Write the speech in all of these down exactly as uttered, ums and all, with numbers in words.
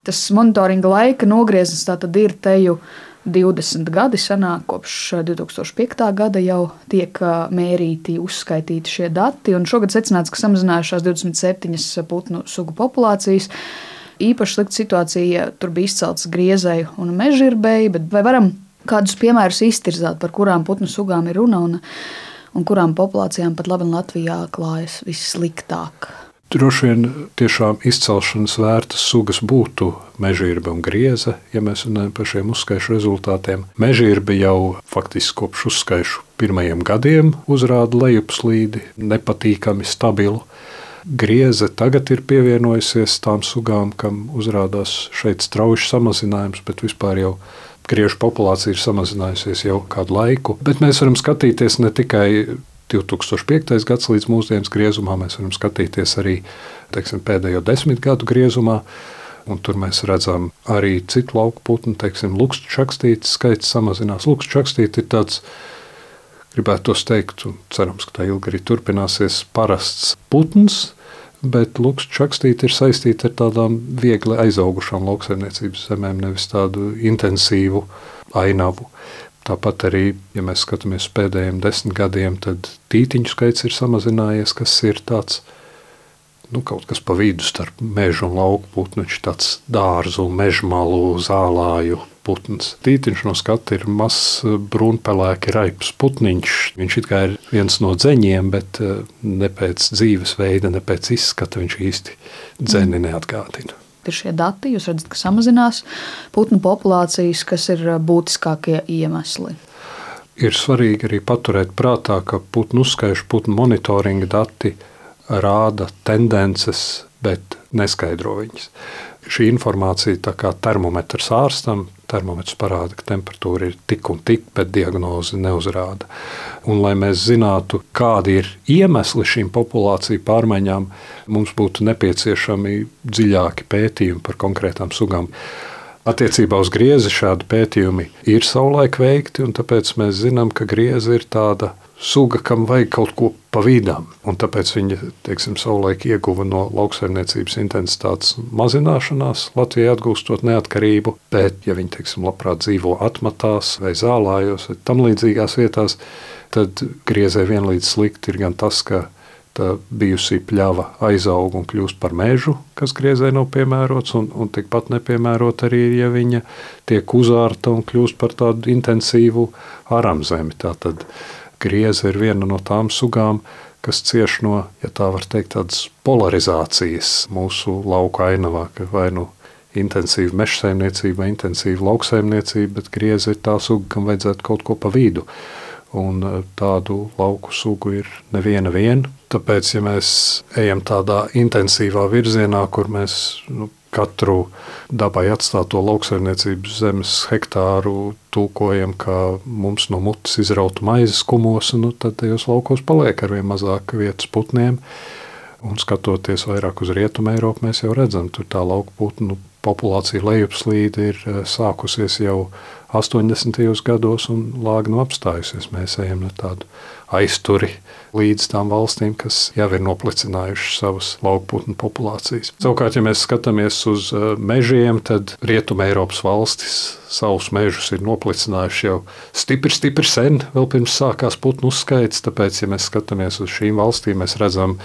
Tas monitoringa laika nogrieznis tātad ir teju divdesmit gadi sanāk, kopš divi tūkstoši piektā gada jau tiek mērīti, uzskaitīti šie dati, un šogad secināts, ka samazinājušās divdesmit septiņas putnu sugu populācijas. Īpaši slikta situācija, tur bija izceltas griezēju un mežģirbēji, bet vai varam kādus piemērus iztirzāt, par kurām putnu sugām ir runa un, un kurām populācijām pat labi Latvijā klājas vissliktāk? Droši vien tiešām izcelšanas vērtas sugas būtu mežģirbe un grieze, ja mēs runājam par šiem uzskaišu rezultātiem. Mežģirbe jau faktiski kopš uzskaišu pirmajiem gadiem uzrāda lejupslīdi, nepatīkami stabilu. Grieze tagad ir pievienojusies tām sugām, kam uzrādās šeit strauji samazinājums, bet vispār jau griežu populācija ir samazinājusies jau kādu laiku. Bet mēs varam skatīties ne tikai divi tūkstoši piektais gads līdz mūsdienas griezumā, mēs varam skatīties arī teiksim, pēdējo desmit gadu griezumā, un tur mēs redzam arī citu lauku putnu, teiksim, lukstu čakstītes skaits samazinās. Lukstu čakstīte ir tāds, gribētu tos teikt, un cerams, ka tā ilgi arī turpināsies, parasts putns, bet lukstu čakstīte ir saistīta ar tādām viegli aizaugušām lauksaimniecības zemēm, nevis tādu intensīvu ainavu. Tāpat arī, ja mēs skatāmies pēdējiem desmit gadiem, tad tītiņu skaits ir samazinājies, kas ir tāds, nu, kaut kas pa vidu starp mežu un lauku putnu, viņš tāds dārzu, mežmalu, zālāju putns. Tītiņš no skata ir mazs brūnpelēki raips putniņš. Viņš it kā ir viens no dzeņiem, bet ne pēc dzīvesveida, ne pēc izskata viņš īsti dzeni neatgādina. Ir šie dati, jūs redzat, ka samazinās putnu populācijas, kas ir būtiskākie iemesli. Ir svarīgi arī paturēt prātā, ka putnu uzskaišu, putnu monitoringa dati rāda tendences, bet neskaidro viņas. Šī informācija tā kā termometrs ārstam, termometrs parāda, ka temperatūra ir tik un tik, bet diagnozi neuzrāda. Un, lai mēs zinātu, kādi ir iemesli šīm populāciju pārmaiņām, mums būtu nepieciešami dziļāki pētījumi par konkrētām sugām. Attiecībā uz griezi šādi pētījumi ir savulaik veikti, un tāpēc mēs zinām, ka grieze ir tāda suga, kam vajag kaut ko pa vidām. Un tāpēc viņa, teiksim, savulaik ieguva no lauksaimniecības intensitātes mazināšanās, Latvijai atgūstot neatkarību, bet, ja viņi, teiksim, labprāt dzīvo atmatās vai zālājos vai tam līdzīgās vietās, tad griezē vienlīdz slikti ir gan tas, ka tā bijusī pļava aizaug un kļūst par mežu, kas griezē nav piemērots, un, un tikpat nepiemērot arī, ja viņa tiek uzārta un kļūst par tādu intensīvu aramzemi. Tātad grieze ir viena no tām sugām, kas cieš no, ja tā var teikt, tādas polarizācijas mūsu lauku ainavā, ka vai nu intensīva mežsaimniecība vai intensīva lauksaimniecība, bet grieze ir tā suga, kam vajadzētu kaut ko pa vidu. Un tādu lauku sugu ir neviena viena. Tāpēc, ja mēs ejam tādā intensīvā virzienā, kur mēs nu, katru dabai atstāto lauksaimniecības zemes hektāru tulkojam, kā mums no mutes izrautu maizes kumos, nu, tad tajos laukos paliek arvien mazāk vietas putniem. Un skatoties vairāk uz Rietumu Eiropu, mēs jau redzam, tur tā lauku putnu populācija lejupslīde ir sākusies jau astoņdesmitajos gados un lāgnu apstājusies. Mēs ejam ar tādu aizturi līdz tām valstīm, kas jau ir noplicinājušas savas laukputnu populācijas. Savukārt, ja mēs skatāmies uz mežiem, tad Rietuma Eiropas valstis savus mežus ir noplicinājuši jau stipri, stipri sen, vēl pirms sākās putnu uzskaits, tāpēc, ja mēs skatāmies uz šīm valstīm, mēs redzam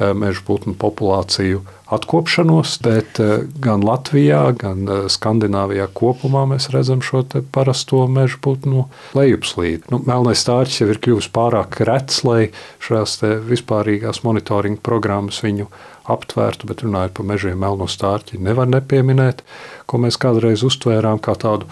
mežu putnu populāciju atkopšanos, bet gan Latvijā, gan Skandināvijā kopumā mēs redzam šo te parasto mežu putnu lejupslīdi. Nu, melnais stārķis jau ir kļuvis pārāk rets, lai šās te vispārīgās monitoringa programmas viņu aptvērtu, bet runājot par mežiem, melno stārķi nevar nepieminēt, ko mēs kādreiz uztvērām kā tādu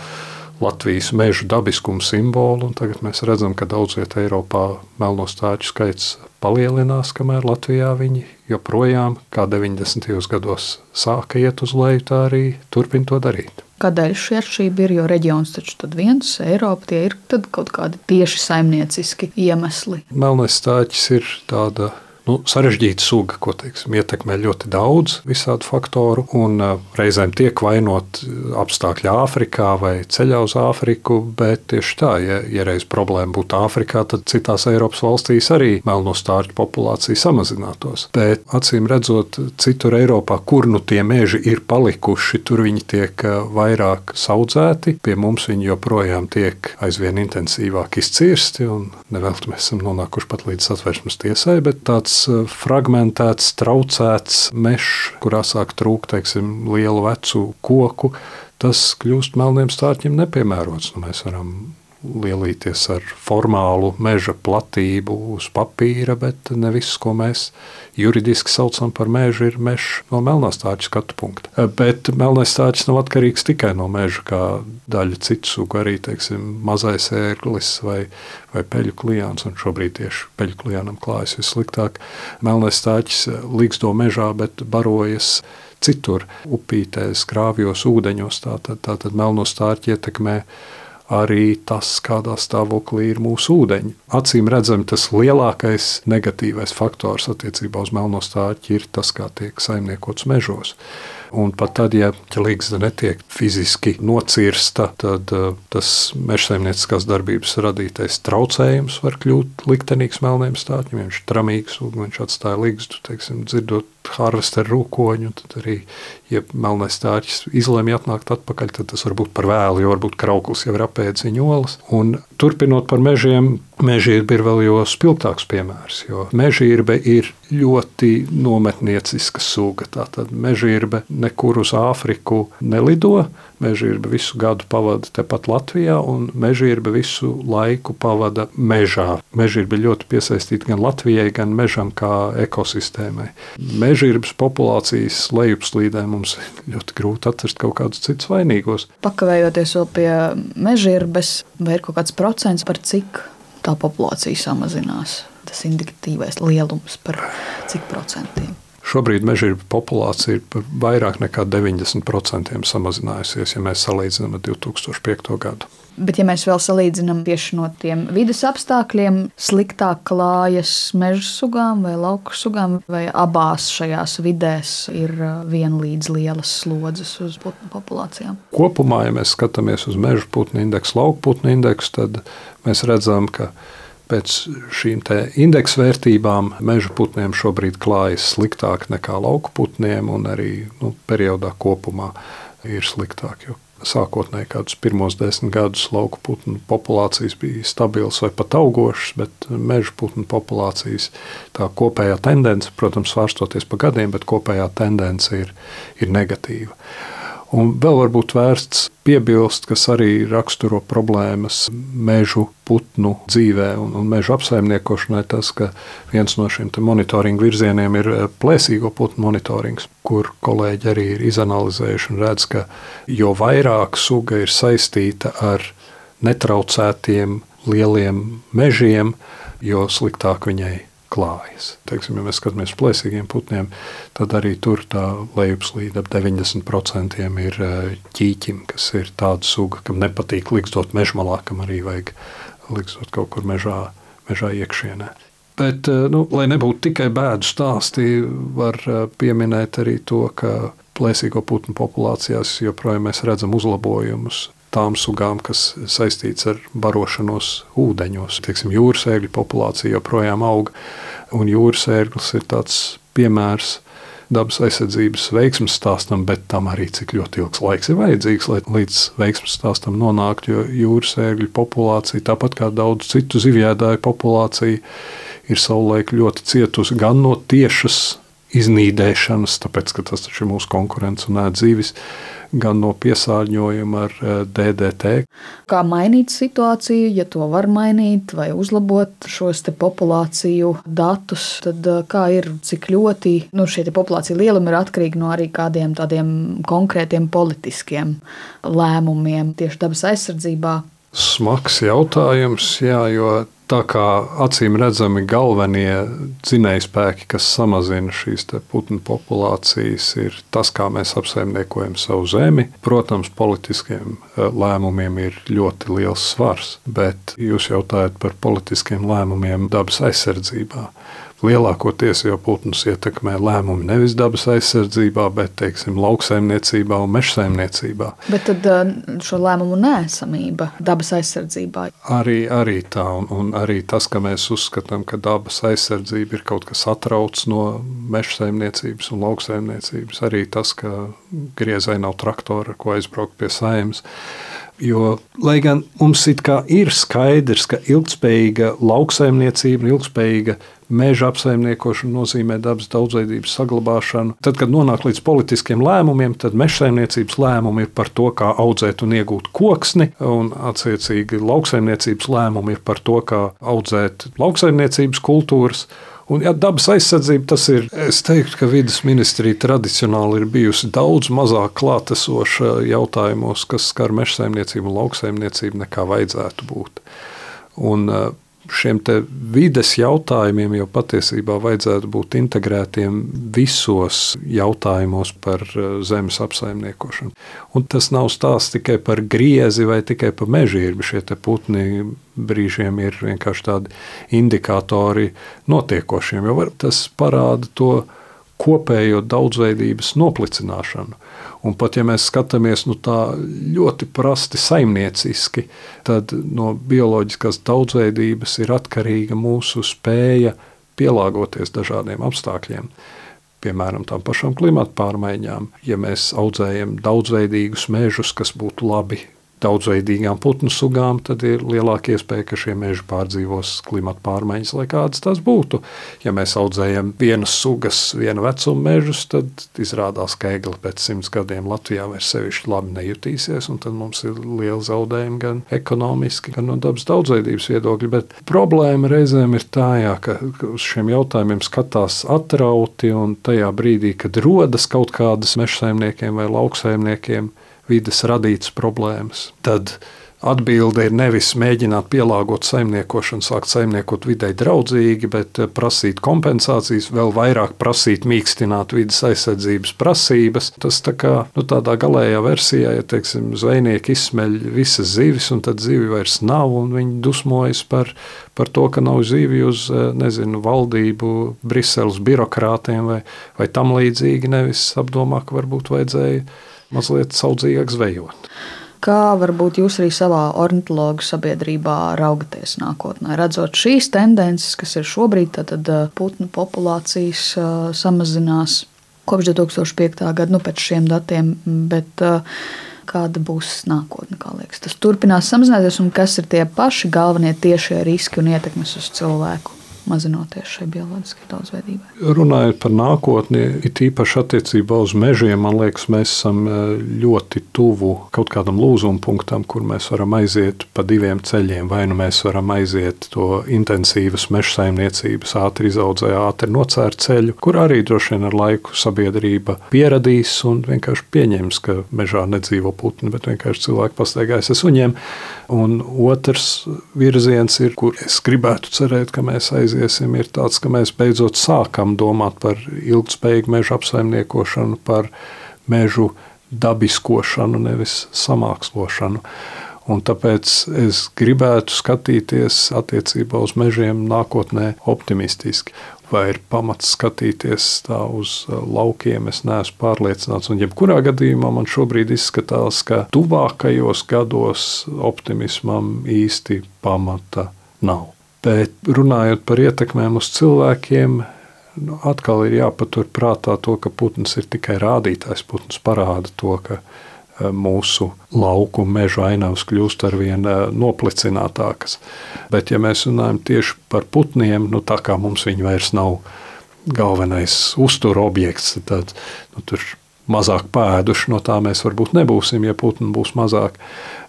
Latvijas mežu dabiskumu simbolu, un tagad mēs redzam, ka daudz vietā Eiropā melno stārķu skaits palielinās, kamēr Latvijā viņi joprojām, kā deviņdesmitajos gados sāka iet uz leju, tā arī turpina to darīt. Kādēļ šī atšķirība ir, jo reģions taču tad viens, Eiropa, tie ir tad kaut kādi tieši saimnieciski iemesli? Melnais stārķis ir tāda nu, sarežģīta suga, ko teiksim, ietekmē ļoti daudz visādu faktoru, un uh, reizēm tiek vainot apstākļi Āfrikā vai ceļā uz Āfriku, bet tieši tā, ja, ja reiz problēma būtu Āfrikā, tad citās Eiropas valstīs arī melno stārķu populācija samazinātos. Bet acīm redzot, citur Eiropā, kur nu tie meži ir palikuši, tur viņi tiek vairāk saudzēti, pie mums viņi joprojām tiek aizvien intensīvāk izcirsti, un nevelti mēs esam nonākuši pat līdz Satversmes tiesai, bet tāds fragmentēts, traucēts mežs, kurā sāk trūkt, teiksim, lielu vecu koku, tas kļūst melniem stārķiem nepiemērots. Nu, mēs varam lielīties ar formālu meža platību uz papīra, bet ne viss, ko mēs juridiski saucam par mežu, ir mežs no melnā stārķa skatu punkta. Bet melnais stārķis nav atkarīgs tikai no meža, kā daļa citu sugu, arī, teiksim, mazais ērglis vai, vai peļu klijāns, un šobrīd tieši peļu klijānam klājas vissliktāk. Melnais stārķis līgsto mežā, bet barojas citur, upītēs, grāvjos, ūdeņos, tātad, tātad melno stārķi ietekmē arī tas, kādā stāvoklī ir mūsu ūdeņi. Acīm redzami, tas lielākais negatīvais faktors attiecībā uz melno stārķi ir tas, kā tiek saimniekots mežos. Un pat tad, ja līgzda netiek fiziski nocirsta, tad uh, tas mežsaimnieciskās darbības radītais traucējums var kļūt liktenīgs melniem stārķiem. Viņš ir tramīgs, un viņš atstāja līgzdu, teiksim, dzirdot harvesteru rūkoņu, tad arī, ja melnais stārķis izlemj atnākt atpakaļ, tad tas var būt par vēlu, jo varbūt krauklis jau ir apēdis viņa olas. Un turpinot par mežiem, mežīrbe ir vēl jo spilgtāks piemērs, jo mežīrbe ir ļoti nometnieciska suga. Tātad mežīrbe nekur uz Āfriku nelido, mežīrbe visu gadu pavada tepat Latvijā, un mežīrbe visu laiku pavada mežā. Mežīrbe ļoti piesaistīta gan Latvijai, gan mežam kā ekosistēmai. Mežīrbes populācijas lejupslīdē mums ļoti grūti atrast kaut kādus citus vainīgos. Pakavējoties vēl pie mežīrbes, vai ir kaut kāds procents, par cik tā populācija samazinās? Tas indikatīvais lielums par cik procentiem? Šobrīd mežīrbe populācija ir par vairāk nekā deviņdesmit procentiem samazinājusies, ja mēs salīdzinām ar divi tūkstoši piekto gadu. Bet ja mēs vēl salīdzinām tieši no tiem vides apstākļiem, sliktāk klājas meža sugām vai lauku sugām, vai abās šajās vidēs ir vienlīdz lielas slodzes uz putnu populācijām? Kopumā, ja mēs skatāmies uz meža putnu indeksu, lauku putnu indeksu, tad mēs redzam, ka pēc šīm te indeksu vērtībām meža putniem šobrīd klājas sliktāk nekā lauku putniem, un arī nu, periodā kopumā ir sliktāk. Jo sākotnēji kādus pirmos desmit gadus lauku putnu populācijas bija stabilas vai pat augošas, bet meža putnu populācijas tā kopējā tendence, protams, svārstoties pa gadiem, bet kopējā tendence ir, ir negatīva. Un vēl varbūt vērsts piebilst, kas arī raksturo problēmas mežu putnu dzīvē un, un mežu apsaimniekošanai, tas, ka viens no šiem monitoringa virzieniem ir plēsīgo putnu monitorings, kur kolēģi arī ir izanalizējuši un redz, ka jo vairāk suga ir saistīta ar netraucētiem lieliem mežiem, jo sliktāk viņai klājas. Teiksim, ja mēs skatāmies plēsīgiem putniem, tad arī tur tā lejupslīde ap deviņdesmit procentiem ir ķīķim, kas ir tāda suga, kam nepatīk ligzdot mežmalā, kam arī vajag ligzdot kaut kur mežā, mežā iekšienē. Bet, nu, lai nebūtu tikai bēdu stāsti, var pieminēt arī to, ka plēsīgo putnu populācijās joprojām mēs redzam uzlabojumus tām sugām, kas saistīts ar barošanos ūdeņos. Teiksim, jūras ērgļu populācija joprojām aug, un jūras ērglis ir tāds piemērs dabas aizsardzības veiksmes stāstam, bet tam arī cik ļoti ilgs laiks ir vajadzīgs, lai līdz veiksmes stāstam nonāktu, jo jūras ērgļu populācija, tāpat kā daudz citu zivjēdāju populācija, ir savulaik ļoti cietusi gan no tiešas iznīdēšanas, tāpēc, ka tas taču ir mūsu konkurents un ēd zivis, gan no piesārņojuma ar D D T. Kā mainīt situāciju, ja to var mainīt vai uzlabot šos te populāciju datus, tad kā ir, cik ļoti nu, šie te populācija lielumi ir atkarīgi no arī kādiem tādiem konkrētiem politiskiem lēmumiem tieši dabas aizsardzībā? Smags jautājums, jā, jo Tā kā acīm redzami galvenie dzinējspēki, kas samazina šīs putnu populācijas, ir tas, kā mēs apsaimniekojam savu zemi. Protams, politiskiem lēmumiem ir ļoti liels svars, bet jūs jautājat par politiskiem lēmumiem dabas aizsardzībā. Lielākoties jau putnus ietekmē lēmumi nevis dabas aizsardzībā, bet, teiksim, lauksaimniecībā un mežsaimniecībā. Bet tad šo lēmumu neesamība dabas aizsardzībā? Arī, arī tā, un, un arī tas, ka mēs uzskatām, ka dabas aizsardzība ir kaut kas atrauc no mežsaimniecības un lauksaimniecības. Arī tas, ka griezai nav traktora, ar ko aizbraukt pie saimnes. Jo, lai gan mums it kā ir skaidrs, ka ilgspējīga lauksaimniecība un ilgspējīga meža apsaimniekošana nozīmē dabas daudzveidības saglabāšanu, tad, kad nonāk līdz politiskiem lēmumiem, tad mežsaimniecības lēmumi ir par to, kā audzēt un iegūt koksni, un attiecīgi lauksaimniecības lēmumi ir par to, kā audzēt lauksaimniecības kultūras. Un, ja dabas aizsardzība, tas ir, es teiktu, ka vides ministrija tradicionāli ir bijusi daudz mazāk klātesoša jautājumos, kas skar mežsaimniecību un lauksaimniecību, nekā vajadzētu būt. Un šiem te vides jautājumiem jau patiesībā vajadzētu būt integrētiem visos jautājumos par zemes apsaimniekošanu. Un tas nav stāsts tikai par griezi vai tikai par mežību. Šie te putni brīžiem ir vienkārši tādi indikātori notiekošiem, jo tas parāda to kopējo daudzveidības noplicināšanu. Un pat ja mēs skatāmies nu, tā ļoti prasti saimnieciski, tad no bioloģiskās daudzveidības ir atkarīga mūsu spēja pielāgoties dažādiem apstākļiem. Piemēram, tām pašām klimata pārmaiņām. Ja mēs audzējam daudzveidīgus mežus, kas būtu labi daudzveidīgām putnu sugām, tad ir lielāka iespēja, ka šie meži pārdzīvos klimata pārmaiņas, lai kādas tas būtu. Ja mēs audzējam vienas sugas, viena vecuma mežus, tad izrādās, ka egli pēc simts gadiem Latvijā vairs sevišķi labi nejutīsies, un tad mums ir liela zaudējuma gan ekonomiski, gan no dabas daudzveidības viedokļa. Bet problēma reizēm ir tā, jā, ka uz šiem jautājumiem skatās atrauti, un tajā brīdī, kad rodas kaut kādas mežsaimniekiem vai lauksaimniekiem vides radītas problēmas, tad atbilde ir nevis mēģināt pielāgot saimniekošanu, sākt saimniekot videi draudzīgi, bet prasīt kompensācijas, vēl vairāk prasīt mīkstināt vides aizsardzības prasības. Tas tā kā nu, tādā galējā versijā, ja teiksim, zvejnieki izsmeļ visas zivis, un tad zivi vairs nav, un viņi dusmojas par, par to, ka nav zivi uz, nezinu, valdību, Briseles birokrātiem vai, vai tam līdzīgi, nevis apdomā, ka varbūt vajadzēja mazliet saudzīgāk zvejot. Kā varbūt jūs arī savā ornitologu sabiedrībā raugaties nākotnē, redzot šīs tendences, kas ir šobrīd, tad putnu populācijas samazinās kopš divi tūkstoši piektā gada, nu pēc šiem datiem, bet kāda būs nākotne, kā liekas? Tas turpinās samazināties, un kas ir tie paši galvenie tiešie riski un ietekmes uz cilvēku? Mazinoties šai bioloģiskai daudzveidībai. Runājot par nākotni, it īpaši attiecībā uz mežiem, man liekas, mēs esam ļoti tuvu kaut kādam lūzuma punktam, kur mēs varam aiziet pa diviem ceļiem. Vai nu mēs varam aiziet to intensīvas mežsaimniecības ātri izaudzē, ātri nocērt ceļu, kur arī droši vien ar laiku sabiedrība pieradīs un vienkārši pieņems, ka mežā nedzīvo putni, bet vienkārši cilvēki pastaigājas ar suņiem. Un otrs virziens ir, kur es gribētu cerēt, ka mēs aiziesim, ir tāds, ka mēs beidzot sākam domāt par ilgspējīgu mežu apsaimniekošanu, par mežu dabiskošanu, nevis samākslošanu. Un tāpēc es gribētu skatīties attiecībā uz mežiem nākotnē optimistiski. Vai ir pamats skatīties tā uz laukiem, es neesmu pārliecināts. Un jebkurā gadījumā man šobrīd izskatās, ka tuvākajos gados optimismam īsti pamata nav. Bet runājot par ietekmēm uz cilvēkiem, nu, atkal ir jāpatur prātā to, ka putns ir tikai rādītājs. Putns parāda to, ka mūsu lauku mežu ainavas kļūst arvien noplicinātākas. Bet, ja mēs runājam tieši par putniem, nu, tā kā mums viņi vairs nav galvenais uztura objekts, tad nu, tur mazāk pēduši, no tā mēs varbūt nebūsim, ja putni būs mazāk.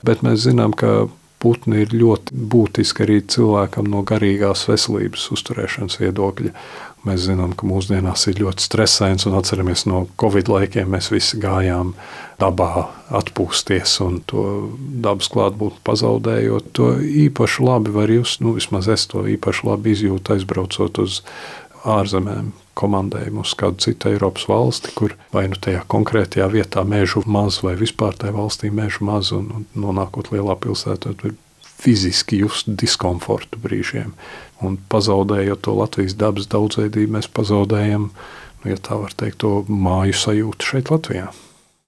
Bet mēs zinām, ka putni ir ļoti būtiski arī cilvēkam no garīgās veselības uzturēšanas viedokļa. Mēs zinām, ka mūsdienās ir ļoti stresains, un atceramies no Covid laikiem, mēs visi gājām dabā atpūsties, un to dabas klātbūtni pazaudējot. To īpaši labi var just, nu vismaz es to īpaši labi izjūtu, aizbraucot uz ārzemēm, komandējumu uz kādu citu Eiropas valsti, kur vai nu tajā konkrētajā vietā mežu maz, vai vispār tajā valstī mežu maz, un, un nonākot lielā pilsētā, tur fiziski just diskomfortu brīžiem. Un pazaudējot to Latvijas dabas daudzveidību, mēs pazaudējam, nu, ja tā var teikt, to māju sajūtu šeit Latvijā.